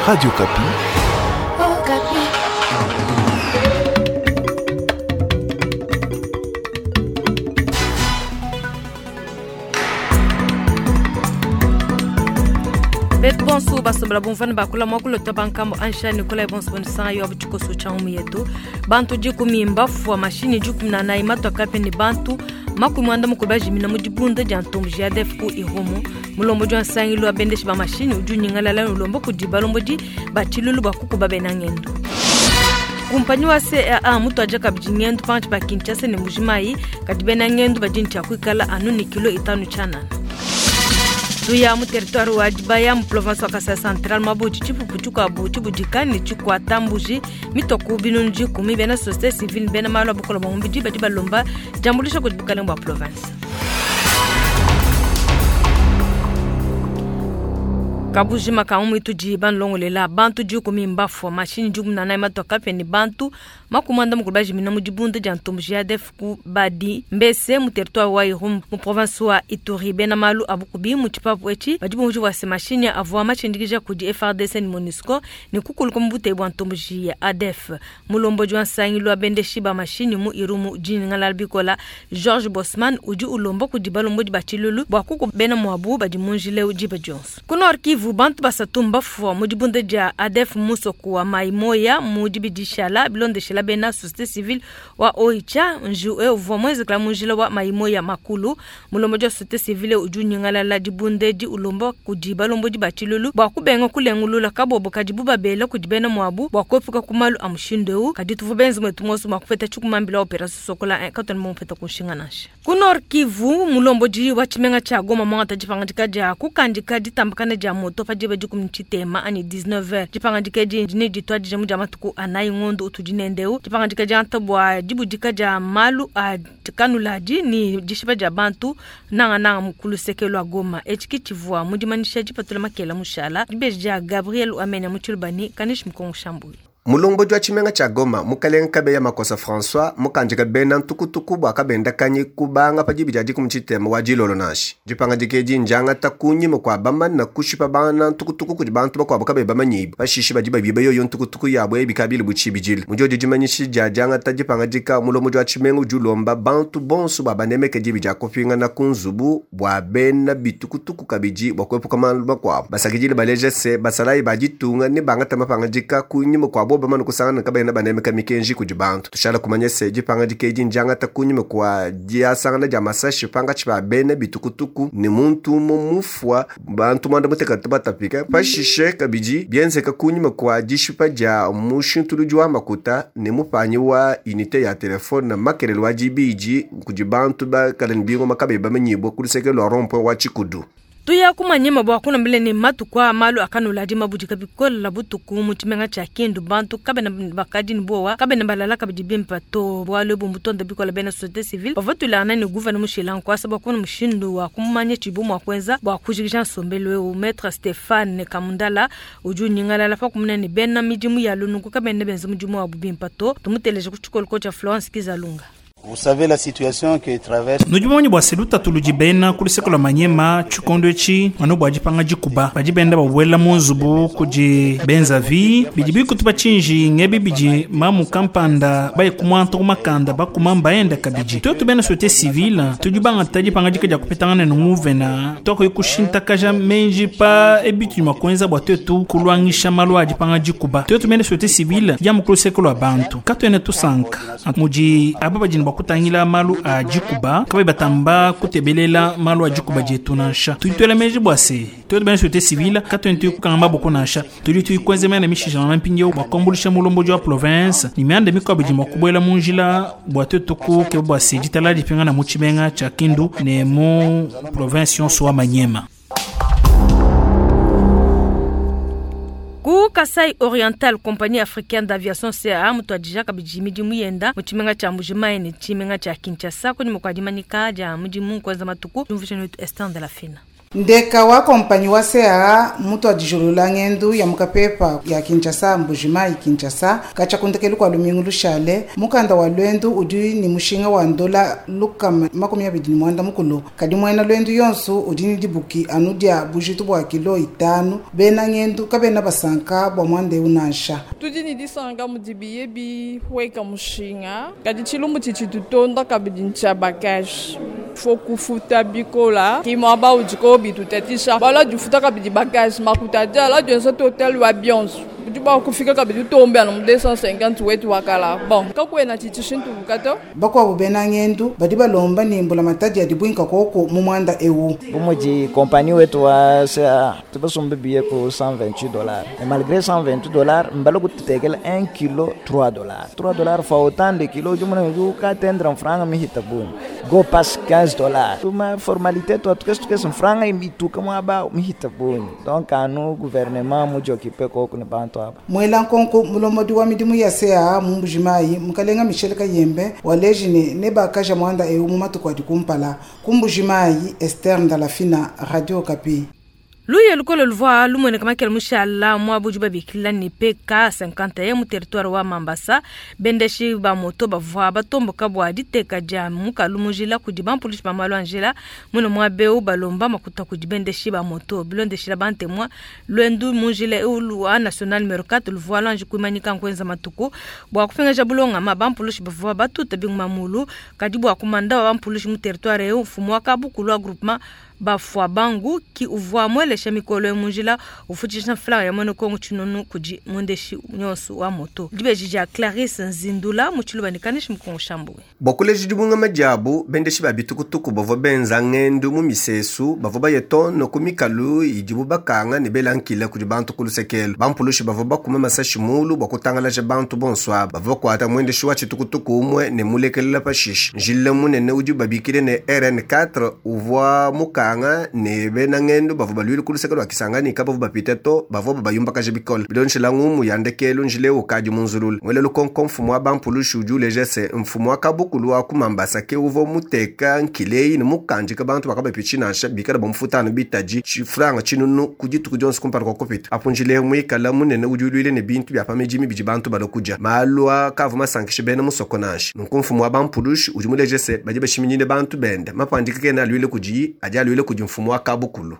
Radio Okapi. Okapi. Betu bonso basombela bumvana bakula mwakulu twa bankambo ansha Nikolai bonso bonisanga yo abuchikoso cha umu yetu bantu dikumi mbafua mashinyi 14 matwa kape ni bantu 40 bajimina mu dibunda dia ntombo JADF ku Irumu. Mulombodi wa nsangilu wa bendeshi ba mashinyi udi unyingalala ulomba kudi balombodi ba tshilulu bua kukuba bena ngendo. Kumpanyi wa CAA mutuadija kabidi ngendo pankatshi pa Kinshasa ne Mbuji-Mayi, kadi bena ngendo badi ne tshia kuikala anu ne kilo 5 tshianana. Tuya mu territoire wa Dibaya mu province wa Kasai Central mabudi tshipupu tshikuabu tshibudika ne tshikuata mbuji mitoku 10,000 bena société civile bena malu a bukole bua mubidi badi balomba diambuluisha kudi bukalenge bua province. Kabujima ka mu itudi banlongolela bantu 10 mbafua mashinyi 14 matwa kape ne bantu 40 bajimina mu dibunda dia ntombo JADF ku badi mbese mu territoire wa Irumu mu province wa Ituri. Bena malu a bukubi mu tshipapu etshi badi bumvua bua se mashinyi avua matshindikija kudi FARDC ne MONUSCO ne kukuluka mu buteyi bua ntombo ya ADF. Mulombodi wa nsangilu wa bendeshi ba mashinyi mu Irumu Jingalala Bikola George Bosman udi ulomba kudi balombodi ba tshilulu bua kukuba bena muabu badi mu njila diba dionso. Ku Nord Kivu bantu basatu mbafua mu dibunda dia ADF musoku wa Maimoya mu dibidishala bilondeshela bena société civile wa Oicha nju uvua mwenzekela mu njila wa Maimoya makulu. Mulombodi wa société civile udi unyingalala dibunda edi ulomba kudi balombodi ba tshilulu bua kubenga kulengulula kabobo kadi bubabela kudi bena muabu bua kuepuka ku malu a mushindu eu. Kadi tuvua benze mwetu monso mua kupeta tshikumambila opération Sokola 1 katona mupeta kunshinga nansha. Ku Nord Kivu mulombodi wa tshimenga tshia Goma mwangata dipangadika dia kukandika ditambakana dia moto pa diba dikumi tshitema anyi 19h. Dipangadika edi ne ditwadija mu dia matuku anayi ngondo utudi nendeu. Dipangadika dia bua dibudika dia malu a kanuladi ni dishipa dia bantu nanga nanga mukulu sekelo Goma. Etshi tshivua mu dimanisha dipatula makela mushala dibeji dia Gabriel Amenya mu Tshilubani kanish Mukongo Shambuyi. Mulombodi wa tshimenga tshia Goma mukalenga Kabeya Makosa François mukandika bena ntukutuku bua kabenda kanyi kubanga pa dibi dia dikumi tshitema wa dilolo nashi. Dipangadika edi ndiangata kunyima kua bamana kushipa bana ntukutuku kudi bantu bakuabu kabe bamanyibu. Pashishe badi babiba yoyo ntukutuku yabo ebikabili butshibidile. Mudiodi dimanyishi dia diangata dipangadika mulombodi wa tshimenga udi ulomba bantu bonso bua banemeke dibi dia kupingana ku nzubu bua bena bitukutuku kabidi bua kuepuka malu makuabu. Basakidile baleja se basalayi ba ditunga ne bangata mapangadika kunyima kua bo bamana kusangana kabena banemeka mikenji kudi bantu. Tushala kumanya se dipangadika edi ndiangata kunyima kua diasangana dia masashi pankatshi pa bena bitukutuku ne muntu umue mufua bantu 93 batapika. Pashishe kabidi bienzeka kunyima kua dishipa dia mushintuludi wa makuta ne mupanyi wa unité ya telefone makelele wa dibidi kudi bantu bakala ne bingoma kabe bamanyibua ku luseke lua rond-point wa Tshikudu. Tuya kumanyema bua kunambile ne matuku a malu akanula di mabudika bikola butuku mu tshimenga tshia Kindu bantu kabena bakadi ne bowa kabena balala kabidi bimpa to bualu ebu mbutonda bikola bena société civile bavua tulana ne gouverneur Mushila Nkwasa bua kumona mushindu wa kumanya tshibu mua kuenza bua kujikija nsombelu eu. Maître Stéphane Kamundala udi unyingalala pa kumona ne bena midimu ya lunuku kabena benza mudimu wabu bimpa to. Tumuteleje ku tshikoloko tshia Florence Kizalunga. Vous savez la situation que traverse. Nudi bua seluta tuludi bena ku luseke lua Manyema tshikondo etshi anu bua dipanga dikuba badi benda babuela mu nzubu kudi benzavi bidi bikutupa tshinji ngebi bidi mamu kampanda baye kumwanta kumakanda bakuma mbaenda kabidi. Tuetu bena société civile tudi bangata dipanga dika dia kupetangana ne nguvena tokoyi kushintakaja menji pa ebitu mua kuenza bua tuetu kulwangisha malu a dipanga dikuba. Tuetu bena société civile dia mu ku luseke lua bantu katuene tusanka mudi aba badi ne bua kutangila malu a dikuba kabayi batamba kutebelela malu a dikuba dietu nansha. Tudi tuela meji bua se tuetu bena société civile katuene tuyikukanga maboko nansha. Tudi tuyikuenza mena mishijana na mpindieu bua kuambuluisha mulombodi wa province ne mianda mikuabu idi mua kubuela mu njila bua tuetu kukeba bua se ditala dipingana mu tshimenga tshia Kindu ne mu province yonso wa Manyema. Ku Kasai Oriental, compagnie africaine d'aviation CAA mutuadija kabidi midimu yenda mu tshimenga tshia Mbuji-Mayi ne tshimenga tshia Kinshasa kunyima kua dimanika dia mudimu kuenza matuku. Tumvuije netu Esther de la Fina. Ndeka wa kompanyi wa CAA mutuadijulula ngendu ya mukapepa ya Kinshasa Mbujimayi Kinshasa katshia ku ndekelu kua lumingu lushale. Mukanda wa lwendu udi ne mushinga wa ndola 260, kadi muena lwendu yonso udi ne dibuki anu dia bujitu bua kilo 5. Bena ngendu kabena basanka bua muanda eu nansha. Tudi ne disanka mudi biye bihueka mushinga, kadi tshilumbu tshidi tutonda kabidi ntshia bagage. Fo kufuta bikola ki muaba udiko bitutatisha bala difuta kabidi bagage makuta adi ala dienza total wa bionso budi bua kufika kabidi utombe anu mu 250 wetu wakala bon kakuena tshidi tshishintuka to. Bakuabu bena ngendu badi balomba ne mbulamatadi ya dibuinka koko mu muanda eu. Bu mudi compagnie wetu wa CAA tubasumbe billet ku 128 dollars et malgré 128 dollars mbala kututekela 1 kilo 3 dollars 3 dollars fois autant de kilos udi mona udi ukatendre mfranga mihita bungi go pass 15 dollars tuma formalité tua tukese tukese mfranga imituka muaba mihita bungi donc anu gouvernement mudi occupe koku ne bantu aba. Muela nkonko mulombodi wa midimu ya CAA mu Mbujimayi mukalenga Michel Kayembe waleji ne nebakaja muanda eu mu matuku adi kumpala. Ku Mbujimayi, Esther Ndalafina, Radio Okapi. Luya lukole luvua lumueneka makela mushala muaba udi babikila ne PK 51 mu territoire wa Mambasa. Bendeshi ba moto bavua batomboka bua diteka dia mukalu mu njila kudi bampulushi ba malu a njila. Muine muaba eu balomba makuta kudi bendeshi ba moto. Bilondeshila bantemwa luendu mu njila eu lua national numero 4 luvua luanji kuimanyika nkuenza matuku bua kupingaja bulongama. Bampulushi bavua batuta binguma mulu kadi bua kumanda wa bampulushi mu territoire eu mfumu wa kabukulu wa groupement bafua bangu ki uvua muelesha mikolo mu njila ufutshisha mfranga ya mwene Kongo tshinunu kudi mwendeshi nyonso wa moto. Dibeji dia Clarisse Nzindula mu tshiluba ne Kanishi Mukongo Shambuwe. Bua kuleja dibungama diabu, bendeshi ba bitukutuku bavua benza ngendu mu misesu bavua baye tono ku mikalu idibu bakanga ne bela nkila kudi bantu ku lusekelo. Bampulushi bavua bakuma masashi mulu bua kutangalaja bantu bonso aba. Bavua bakuata mwendeshi wa tshitukutuku umue ne mulekelela pashishe. Njila munene udi babikile ne RN4 uvua mukanga ne bena ngendu bavua baluile ku luseke lua Kisangani kabavua bapite to, bavua babayumbakaja bikole. Bilondeshila ngumu ya ndekelu njila eu ukadi munzulula. Muele lukonko mfumu wa bampulushi udi uleja se mfumu wa kabukulu wa ku Mambasa ke uvua muteka nkileyi ne mukandika bantu bakabapitshi nansha bikala bamufuta anu bitadi tshifranga tshinunu ku dituku dionso kumpala kua kupita. Apu njila eu muikala munene udi uluile ne bintu bia pa midimi bidi bantu balua kudia. Malu aa kavua masankishe bena musoko nansha. Nunku mfumu wa bampulushi udi muleje se badi bashiminyine bantu bende mapandika kena aluile kudiyi, adi aluile kudi mfumu wa kabukulu.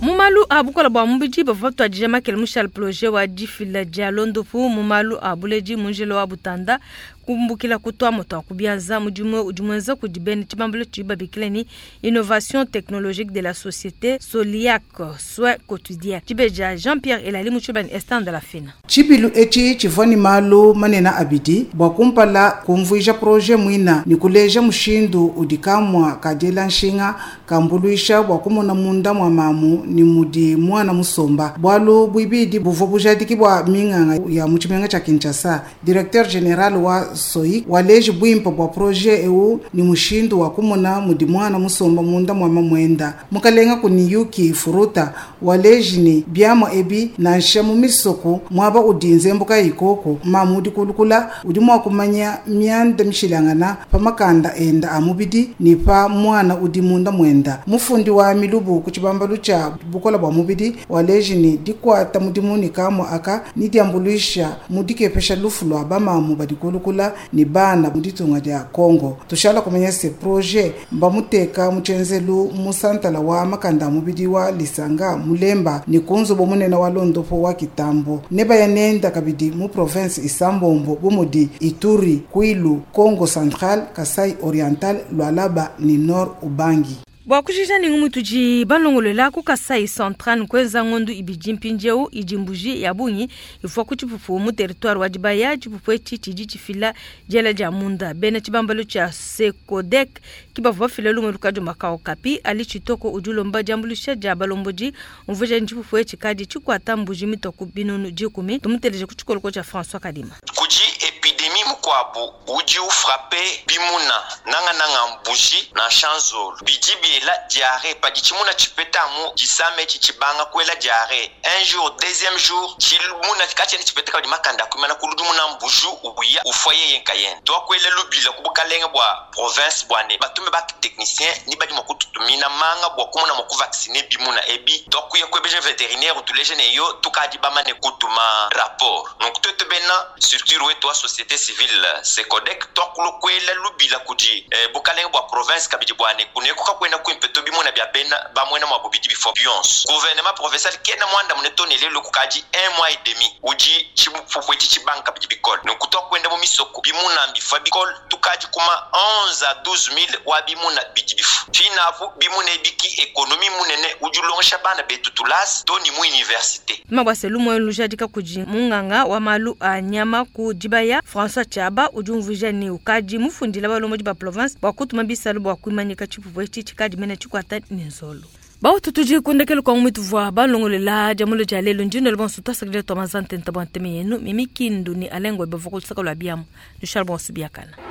Mu malu a bukola bua mubidi bavua batuadija makele mushale projet wa difila dia londopu mu malu a buledi mu njila wa Butanda kumbukila ku tuamua tua ku bianza. Mudimu udi muenza kudi bena tshibambalu tshidi babikila ne innovation technologique de la société Soliac soins quotidien. Tshibeja Jean-Pierre Elali mu tshiluba ne Esther Ndalafina. Tshibilu etshi tshivua ne malu manene abidi. Bua kumpala kumvuija projet muina ne kuleja mushindu udi kamua ka diela nshinga kambuluisha bua kumona munda mua mamu ne mudi muana musomba. Bualu buibidi buvua bujadiki bua minganga ya mu tshimenga tshia Kinshasa. Directeur general wa SOIC waleji buimpe bua projet eu ne mushindu wa kumona mudi muana musomba munda mua mamuenda. Mukalenga Kuniyuki Furuta waleji ne biamua ebi nansha mu misoko muaba udi nzembuka ikoko mamu udi kulukula udi mua kumanya mianda mishilangana pa makanda enda a mubidi ne pa muana udi munda muenda. Mufundi wa milubu ku tshibambalu tshia bukola bua mubidi waleji ne dikuata mudimu ne kamua aka ne diambuluisha mu dikepesha lufu lua bamamu badi kulukula ne bana mu ditunga dia Congo. Tushala kumanya se projet mbamuteka mu tshenzelu mu santala wa makanda a mubidi wa Lisanga Mulemba ne ku nzubu munene wa Londopo wa Kitambo. Ne baya nenda kabidi mu province Isambombo bu mudi Ituri, Kwilu, Congo Central, Kasai Oriental, Lualaba ne Nord Ubangi. Bua kujija ne ngumu tudi balongolola ku Kasai Central nkuenza ngondu ibidi mpindieu idi mbuji ya bungi ivua ku tshipupu mu territoire wa Dibaya. Tshipupu etshi tshidi tshifila diela dia munda. Bena tshibambalu tshia Sekodek ki bavua bafila lumu lukadi makao kapi. Ali Tshitoko udi ulomba diambuluisha dia balombodi umvuija ne tshipupu etshi kadi tshikuata mbuji mitoku binunu 10. Tumuteleje ku tshikoloko tshia François Kadima. Kudi epidemie Mukuabu udi ufrape bimuna nangananga mbuji nansha nzolu bidi biela diarrhée. Padi tshimuna tshipeta amu disama etshi tshibanga kuela diarrhée un jour, deuxième jour tshimuna katshiena tshipeta kabidi makanda akuimana kuludimuna mbuji uya ufua yeye nkayende. Tuakuela lubila ku bukalenge bua province bua ne batume ba technicien ni badi mua kututumina manga bua kumona mua kuvacciner bimuna ebi. Tuakuya kuebeja vétérinaire utuleje ne yo tukadi bamane kutuma rapport. Nunku tuetu bena structure wetu wa société civile Secodec tuakulokwela lubila kudi bukalenge bua province kabidi bua ne kuneku kakuena kuimpe to bimuna bia bena bamwena mua bubidi bifo bionso. Gouvernement provincial kena mwanda mune to ne lelo kukadi un mois et demi udi tshipupu etshi tshibanga kabidi bikole. Nunku tuakuenda mu misoko bimuna mbifua bikole tukadi kuma 11 à 12 000 wa bimuna bidi bifu. Finapu bimuna ebiki économie munene udi ulongesha bana betu tulasa to ni mu université. Mabwase lumwe lujadika kudi munganga wa malu a nyama ku dibaya François Chaba udi umvuija ne ukadi mufundila balombodi ba province bua kutuma bisalu bua kuimanyika tshipupu etshi tshikadi mene tshikwata ne nzolo. Bautu tudi kundekelu kwa mumitu vua balongolela diamulo dia lelo ndino bonso twasakidila twa mazante nta bua nteme yenu mimi kindu ni alengwe bavua kulusaka lua biamu nushal bonso biakana.